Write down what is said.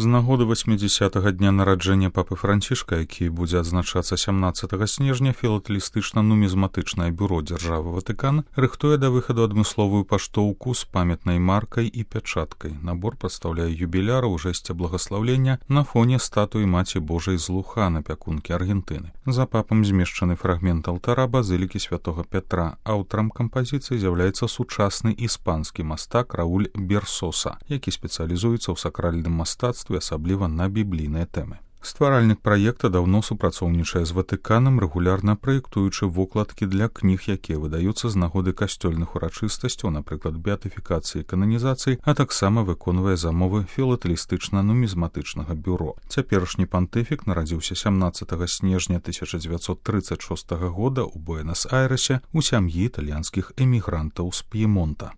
З нагоды 80-го дня нараджэння папы Францішка, які будзе адзначацца 17 снежня, філатэлістычна-нумізматычнае бюро дзяржавы Ватыкан рыхтуе да выхаду адмысловую паштоўку з памятнай маркай і пячаткай. Набор прадстаўляе юбіляра ў жэсце благаслаўлення на фоне статуі Маці Божай з Лухана, пякункі Аргентыны. За папам змешчаны фрагмент алтара базылікі святога Пятра. Аўтарам кампазіцыі з'яўляецца сучасны іспанскі мастак Рауль Берсоса, які спецыялізуецца ў сакральным мастацтве, асабліва на біблійныя тэмы. Стваральнік праекта даўно супрацоўнічае з Ватыканам, рэгулярна праектуючы вокладкі для кніг, якія выдаюцца з нагоды касцёльных урачыстасцяў, напрыклад, беатыфікацыі і кананізацыі, а таксама выконвае замовы філатэлістычна-нумізматычнага бюро. Цяперашні пантыфік нарадзіўся 17 снежня 1936 года ў Буэнас-Айрэсе ў сям'і італьянскіх эмігрантаў з П'емонта.